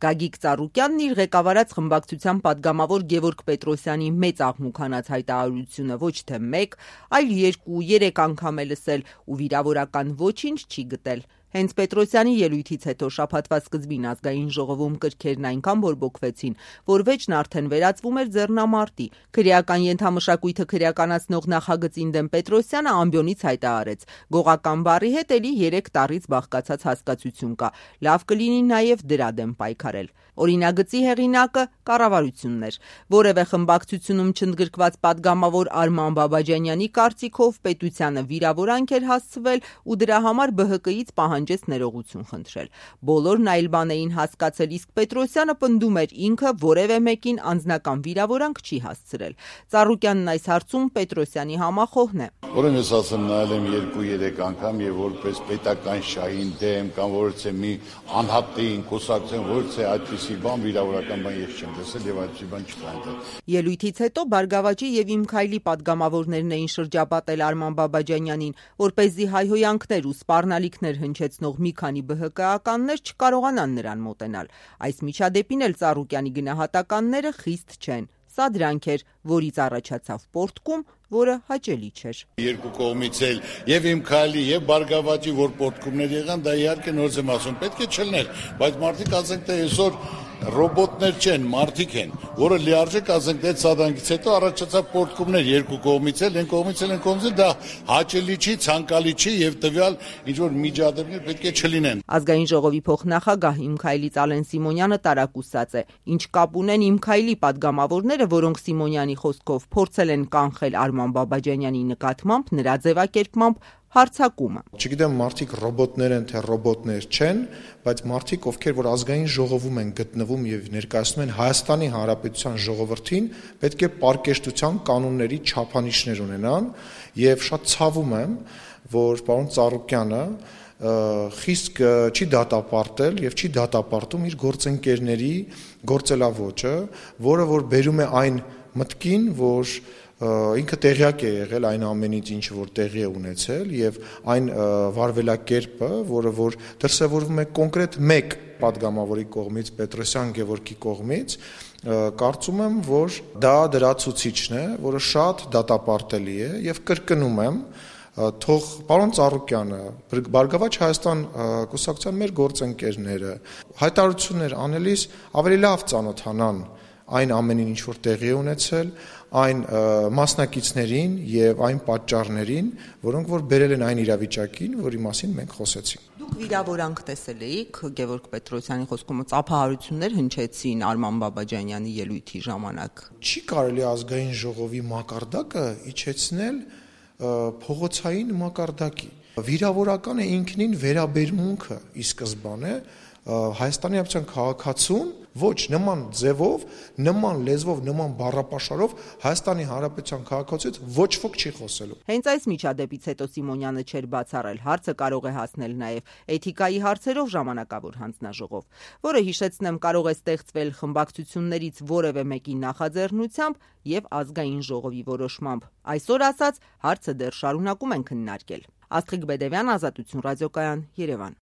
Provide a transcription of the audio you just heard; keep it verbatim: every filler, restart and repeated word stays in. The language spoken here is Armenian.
Գագիկ Ծառուկյանն իր ղեկավարած խմբակցության պատգամավոր Գևորգ Պետրոսյանի մեծ աղմուկանաց հայտարարությունը ոչ թե մեկ, այլ երկու, երեք անգամ է լսել ու վիրավորական ոչինչ չի գտել։ Հենց Պետրոսյանի ելույթից հետո շաբաթվա սկզբին ազգային ժողովում կրքերն այնքան բորբոքվեցին, որ վեճն արդեն վերածվում էր ձեռնամարտի։ Քրեական ենթամշակույթը քրեականացնող նախագծին դեմ Պետրոսյանը ամբիոնից հայտարարեց. «Գողական բառի հետ էլի երեք տառից բաղկացած հասկացություն կա, լավ կլինի նաև դրա դեմ պայքարել»։ Օրինագծի հեղինակը կառավարությունն էր։ Որևէ խմբակցությունում չընդգրկված պատգամավոր Արման Բաբաջանյանի կարծիքով պետությանը վիրավորանք էր հասցվել ու դրա համար Բ Հ Կ-ից պահանջեց ներողություն խնդրել։ Բոլորն այլ բան էին հասկացել, իսկ Պետրոսյանը պնդում էր ինքը որևէ մեկին անձնական վիրավորանք չի հասցրել։ Ծառուկյանն այս հարցում Պետրոսյանի համախոհն է։ Որն ես ասեմ, նայել եմ երկու-երեք անգամ եւ որպես պետական շահին դեմ կամ որից է մի անհատին կուսակցեն, որից է այդպիսի բան վիրավորական բան ես չեմ տեսել եւ այդպիսի բան չկա այնտեղ։ Ելույթից հետո Բարգավաճի եւ Իմ Քայլի պատգամավորներն էին շրջապատել Արման Բաբաջանյանին, որպեսզի հայհոյանքներ ու սպառնալիքներ հնչեցնող մի քանի Բ Հ Կ-ականներ չկարողանան նրան մոտենալ։ Այս միջադեպին էլ Ծառուկյանի գնահատականները խիստ չեն։ Սա դրանք էր, որից առաջացավ պոռթկում, որը հաճելի չէր։ Երկու կողմից էլ եւ Իմ Քայլի եւ Բարգավաճի որ պոռթկումներ եղան, դա իհարկե նորից եմ ասում, պետք է չլներ, բայց մարդիկ ասենք թե այսօր ռոբոտներ չեն, մարդիկ են, որը լիարժեք ասենք թե սադանգից հետո առաջացավ պոռթկումներ երկու կողմից էլ, այն կողմից էլ, այն կողմից էլ, դա հաճելի չի, ցանկալի չի եւ տվյալ ինչ որ միջադեպներ պետք է չլինեն։ Ազգային ժողովի փոխնախագահ Իմ Քայլից Ալեն Սիմոնյանը տարակուսած է։ Ինչ կապ ունեն Իմ Քայլի պատգամավորները, որոնք Սիմոնյանի խոսքով փորձել են կանխել Արման Բաբաջանյանի նկատմամբ նրա ձևակերպմամբ հարցակումը։ Չգիտեմ մարդիկ ռոբոտներ են թե ռոբոտներ չեն, բայց մարդիկ, ովքեր որ ազգային ժողովում են գտնվում եւ ներկայացնում են Հայաստանի Հանրապետության ժողովրդին, պետք է պարկեշտության կանոնների չափանիշներ ունենան եւ շատ ցավում եմ, որ պարոն Ծառուկյանը խիստ չի դատապարտել եւ չի դատապարտում իր գործընկերների գործելավոճը, որը որ բերում է այն մտքին, որ ինքը տեղյակ է եղել այն ամենից, ինչ որ տեղի է ունեցել եւ այն վարվելակերպը, որը որ դրսևորվում է կոնկրետ մեկ պատգամավորի կողմից, Պետրոսյան Գևորգի կողմից, կարծում եմ, որ դա դրա ցուցիչն է, որը շատ դատապարտելի է եւ կրկնում եմ, թող պարոն Ծառուկյանը, Բարգավաճ Հայաստան կուսակցության մեր գործընկերները հայտարարություններ անելիս ավելի լավ ծանոթանան այն ամենին, ինչ որ տեղի է ունեցել, այն մասնակիցներին եւ այն պատճառներին, որոնք որ բերել են այն իրավիճակին, որի մասին մենք խոսեցինք։ Դուք վիրավորանք տեսել էիք Գևորգ Պետրոսյանի խոսքում ծափահարություններ հնչեցին Արման Բաբաջանյանի ելույթի ժամանակ։ Չի կարելի ազգային ժողովի մակարդակը իջեցնել փողոցային մակարդակի։ Վիրավորական է ինքնին վերաբերմունքը ի սկզբանե Հայաստանի Հանրապետության քաղաքացուն ոչ նման ձևով, նման լեզվով, նման բառապաշարով Հայաստանի Հանրապետության քաղաքացուից ոչ ոք չի խոսելու։ Հենց այս միջադեպից հետո Սիմոնյանը չէր բացառել, հարցը կարող է հասնել նաև էթիկայի հարցերով ժամանակավոր հանձնաժողով, որը հիշեցնեմ կարող է ստեղծվել խմբակցություններից որևէ մեկի նախաձեռնությամբ եւ ազգային ժողովի որոշմամբ։ Այսօր ասած հարցը դեռ շարունակում են քննարկել։ Աստղիկ Բեդևյան, Ազատություն ռադիոկայան, Երևան։